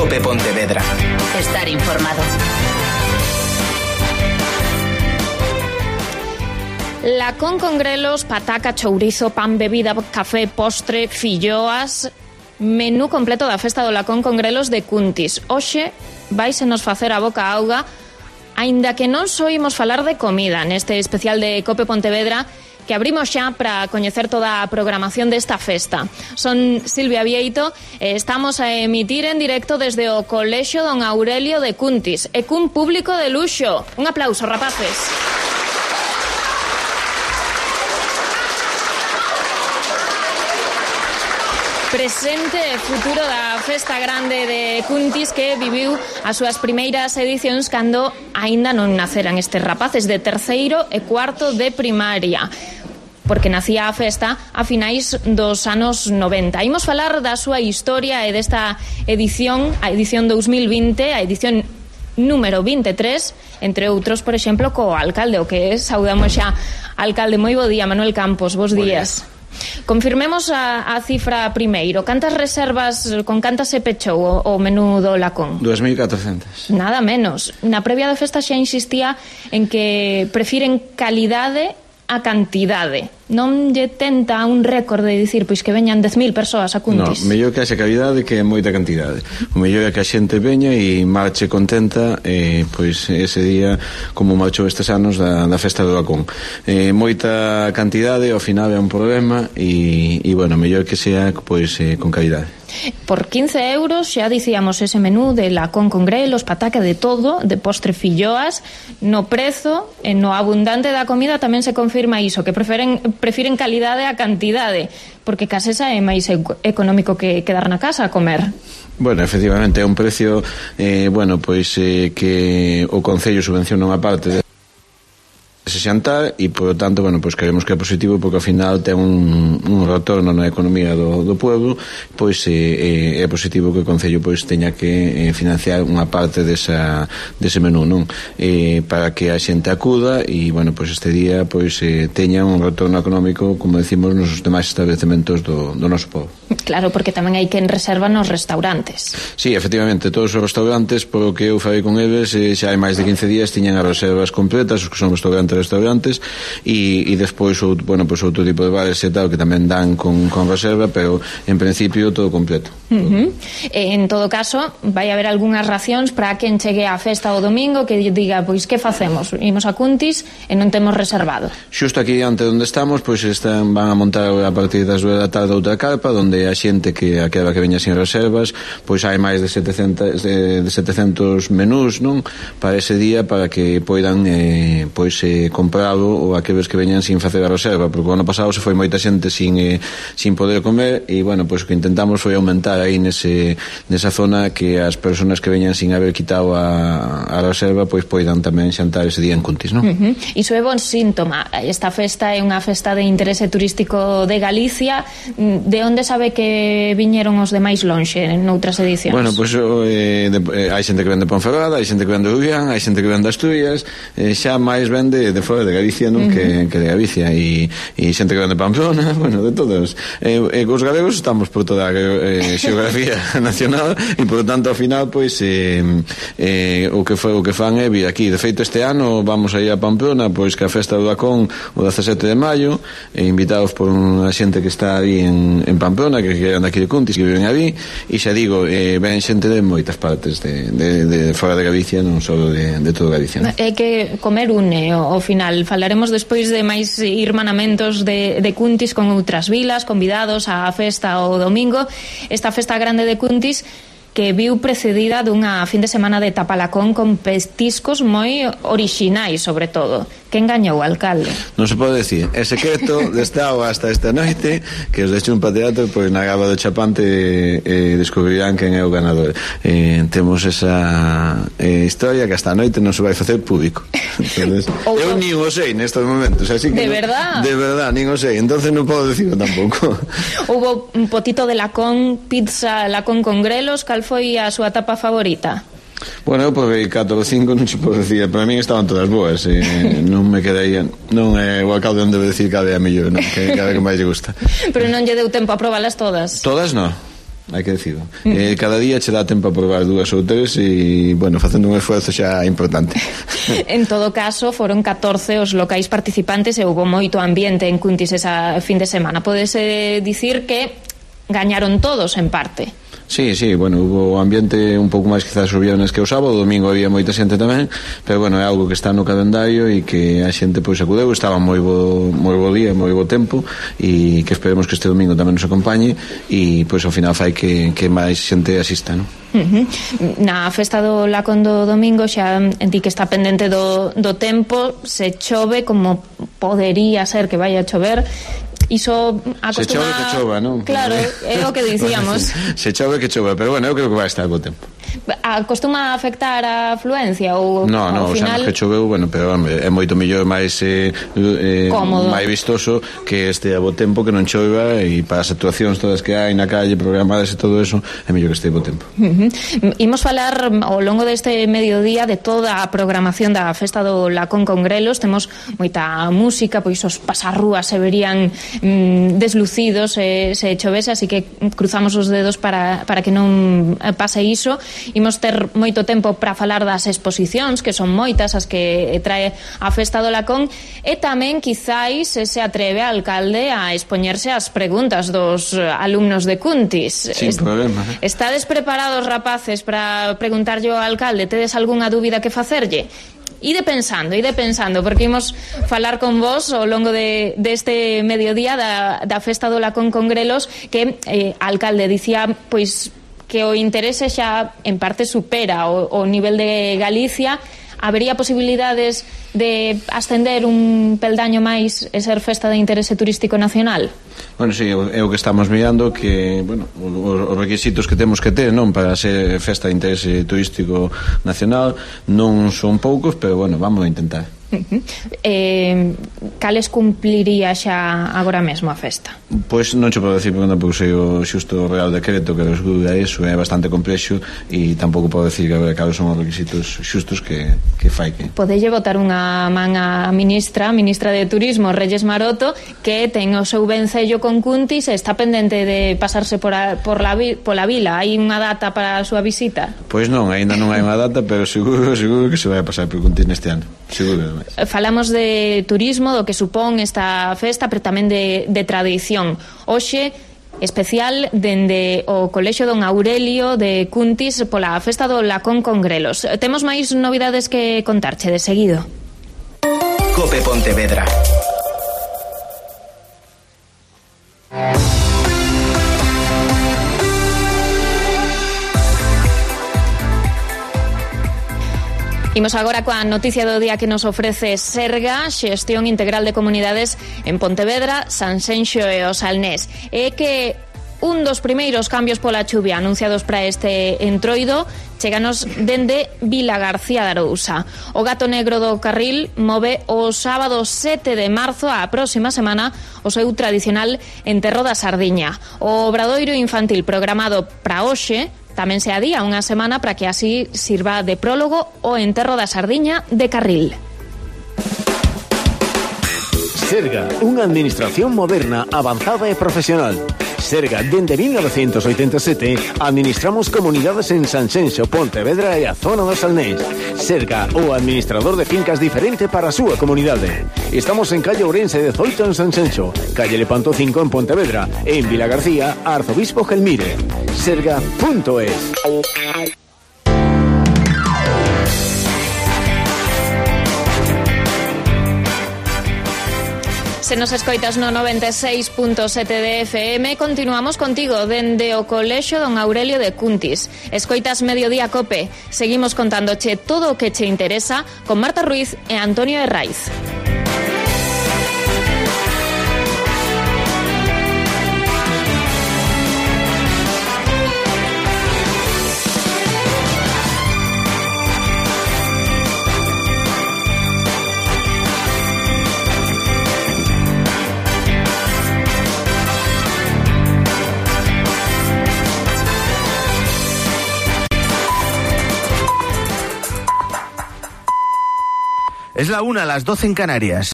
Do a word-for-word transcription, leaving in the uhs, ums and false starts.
Cope Pontevedra. Estar informado. Lacón con grelos, pataca, chourizo, pan, bebida, café, postre, filloas. Menú completo da festa do Lacón con grelos de Cuntis. Hoxe vaise nos facer a boca auga, aínda que non soimos falar de comida neste especial de Cope Pontevedra, que abrimos xa para coñecer toda a programación desta festa. Son Silvia Vieito e estamos a emitir en directo desde o Colexio Don Aurelio de Cuntis e cun público de luxo. Un aplauso, rapaces. Presente e futuro da festa grande de Cuntis, que viviu as súas primeiras edicións cando aínda non naceran estes rapaces de terceiro e cuarto de primaria, porque nacía a festa a finais dos anos noventa. Imos falar da súa historia e desta edición, a edición dos mil vinte, a edición número veintitrés, entre outros, por exemplo, co alcalde, o que é, saudamos xa. Alcalde, moi bo día, Manuel Campos, bos días. Confirmemos a, a cifra primeiro. Cantas reservas, con cantas se pechou o, o menú do Lacón? dous mil catrocentas. Nada menos. Na previa da festa xa insistía en que prefiren calidade a cantidade. Non lle tenta un récord de dicir pois que veñan dez mil persoas a Cuntis? No, mellor que haxe calidade que moita cantidade. O mellor é que a xente veña e marche contenta, e pois ese día como marchou estes anos da, da festa do Lacón. Eh, moita cantidade ao final é un problema e, e bueno, mellor que sea pois eh, con calidade. Por quince euros xa dicíamos ese menú de Lacón con grelos, pataca, de todo, de postre, filloas. No prezo e no abundante da comida tamén se confirma iso, que preferen prefiren calidade a cantidade, porque case esa é máis económico que quedar na casa a comer. Bueno, efectivamente é un precio eh, bueno, pois eh, que o Concello subvenciona unha parte de ese xantar e, por tanto, bueno, pois queremos que é positivo porque ao final ten un, un retorno na economía do, do pueblo, pois eh, é positivo que o Concello pois teña que eh, financiar unha parte desa, dese menú, non? Eh, para que a xente acuda e, bueno, pois este día pois eh, teña un retorno económico, como decimos, nos demais establecementos do, do noso povo. Claro, porque tamén hai quen reserva nos restaurantes. Sí, efectivamente, todos os restaurantes, polo que eu falei con eles, eh, xa hai máis de quince días tiñan as reservas completas, os que son restaurantes restaurantes e, e despois outro, bueno, pues outro tipo de bares e tal que tamén dan con, con reserva, pero en principio todo completo. Uh-huh. En todo caso, vai haber algunhas racións para quen chegue á festa o domingo que diga, pois que facemos? Imos a Cuntis e non temos reservado. Xusto aquí ante onde estamos, pois están, van a montar a partir das dúas da tarde outra carpa onde a xente que aquela que veña sin reservas, pois hai máis de setecentos, de, de setecentos menús, non? Para ese día, para que poidan eh, pois eh, comprar ou aqueles que veñan sin facer a reserva, porque o ano pasado se foi moita xente sin, eh, sin poder comer e, bueno, pois o que intentamos foi aumentar aí nese, nesa zona que as persoas que veñan sin haber quitado a, a reserva pois poidan tamén xantar ese día en Cuntis, non? Uh-huh. Iso é bon síntoma. Esta festa é unha festa de interese turístico de Galicia. De onde sabe que viñeron os demais lonxe noutras edicións? Bueno, pois eh, de, eh, hai xente que vende Ponferrada, hai xente que vende Rubián, hai xente que vende Asturias, eh, xa máis vende de fora de Galicia, non? Uh-huh. que, que de Galicia e, e xente que vende Pamplona, bueno, de todos. E eh, eh, os galegos estamos por toda a eh, xeografía nacional e, por tanto, ao final, pois eh, eh, o que foi o que fan é vir aquí. De feito, este ano vamos a ir a Pamplona, pois que a festa do Lacón o dezasete de maio, e invitados por unha xente que está aí en, en Pamplona, que quedan aquí de Cuntis, que viven ali, e xa digo, eh, ven xente de moitas partes de, de, de fora de Galicia, non só de, de toda Galicia, non? É que comer une ao final. Falaremos despois de máis irmanamentos de, de Cuntis con outras vilas, convidados á festa o domingo. Esta festa grande de Cuntis que viu precedida dunha fin de semana de tapalacón con pestiscos moi orixinais, sobre todo. Que engañou o alcalde? Non se pode decir. É secreto de estado hasta esta noite que os de Chumpa Teatro, pois na gaba do Chapante eh, descubrirán quen é o ganador. Eh, temos esa eh, historia que hasta a noite non se vai facer público. Ou eu nin o sei nestes momentos, así que de no, verdad? De verdad, nin o sei, entonces non podo dicirlo tampouco. Hubo un potito de lacón, pizza lacón con grelos. Cal foi a súa tapa favorita? Bueno, eu probei catro ou cinco, non se pode decir. Para min estaban todas boas, eh, non me quedarían. Non é o alcalde onde debe decir que é a mellor, non? Que cada que máis lle gusta. Pero non lle deu tempo a probalas todas? Todas non. hai que decirlo. Mm. Eh, cada día che dá tempo a probar dúas ou tres e, bueno, facendo un esforzo xa importante. En todo caso, foron catorce os locais participantes e houve moito ambiente en Cuntis esa fin de semana. Podese dicir que gañaron todos en parte. Sí, sí, bueno, hubo ambiente un pouco máis quizás o viernes que o sábado, o domingo había moita xente tamén, pero bueno, é algo que está no calendario e que a xente pois acudeu, estaba moi bo, moi bo día, moi bo tempo e que esperemos que este domingo tamén nos acompañe e pois ao final fai que, que máis xente asista, non? Uh-huh. Na festa do Lacón do domingo xa di que está pendente do, do tempo, se chove como podería ser que vaya a chover. Iso acostuma... Se chove que chova, non? Claro, é o que dicíamos. Se chove que chova, pero bueno, eu creo que vai estar bo tempo. Acostuma a afectar a afluencia ou no, no, ao final... o sea, que choveu, bueno, pero hombre, é moito mellor máis eh, eh, máis vistoso que este a bo tempo que non chova e para as actuacións todas que hai na calle programadas e todo eso, é mellor que este bo tempo. Uh-huh. Imos falar ao longo deste mediodía de toda a programación da festa do Lacón con Grelos. Temos moita música, pois os pasarrúas se verían mm, deslucidos se, se chovese, así que cruzamos os dedos para, para que non pase iso. Imos ter moito tempo para falar das exposicións, que son moitas as que trae a festa do Lacón, e tamén quizáis se atreve a alcalde a expoñerse as preguntas dos alumnos de Cuntis. Sin Est problema. Eh? Estades preparados, rapaces, para preguntarlle ao alcalde? Tedes algunha dúbida que facerlle? Ide pensando, ide pensando, porque imos falar con vos ao longo de, deste mediodía da, da festa do Lacón con Grelos, que eh, a alcalde dicía, pois, que o interese xa en parte supera o, o nivel de Galicia. Habería posibilidades de ascender un peldaño máis e ser festa de interese turístico nacional? Bueno, sí, é o que estamos mirando, que, bueno, os requisitos que temos que ter, non, para ser festa de interese turístico nacional non son poucos, pero bueno, vamos a intentar. Uh-huh. eh, cales cumpliría xa agora mesmo a festa? Pois non che podo decir porque non sei o xusto Real Decreto que resguda eso, é bastante complexo e tampouco podo decir que cales son os requisitos xustos que, que fai que... Podelle botar unha man a ministra, a ministra de Turismo, Reyes Maroto, que ten o seu vencello con Cuntis e está pendente de pasarse por, a, por la, pola vila. Hai unha data para a súa visita? Pois non, aínda non hai unha data, pero seguro, seguro que se vai a pasar por Cuntis neste ano, seguro. Falamos de turismo, do que supón esta festa, pero tamén de, de tradición. Hoxe, especial dende o Colexio Don Aurelio de Cuntis pola festa do Lacón con Grelos. Temos máis novidades que contarche de seguido. Cope Pontevedra. Imos agora coa noticia do día que nos ofrece Serga, Xestión Integral de Comunidades en Pontevedra, Sanxenxo e o Salnés. É que un dos primeiros cambios pola chuvia anunciados para este entroido cheganos dende Vila García de Arousa. O gato negro do Carril move o sábado sete de marzo, a próxima semana, o seu tradicional enterro da sardiña. O obradoiro infantil programado para hoxe tamén se adía unha semana para que así sirva de prólogo o enterro da sardiña de Carril. Serga, unha administración moderna, avanzada e profesional. Serga, dende mil novecentos oitenta e sete, administramos comunidades en Sanxenxo, Pontevedra e a zona do Salnés. Serga, o administrador de fincas diferente para a súa comunidade. Estamos en calle Ourense dezoito en Sanxenxo, calle Lepanto cinco en Pontevedra e en Vila García, Arzobispo Gelmire. Serga punto es. Se nos escoitas no noventa e seis punto sete de F M, continuamos contigo dende o Colexio Don Aurelio de Cuntis. Escoitas Mediodía Cope. Seguimos contándoche todo o que che interesa con Marta Ruiz e Antonio Herraiz. Es la una, a las doce en Canarias.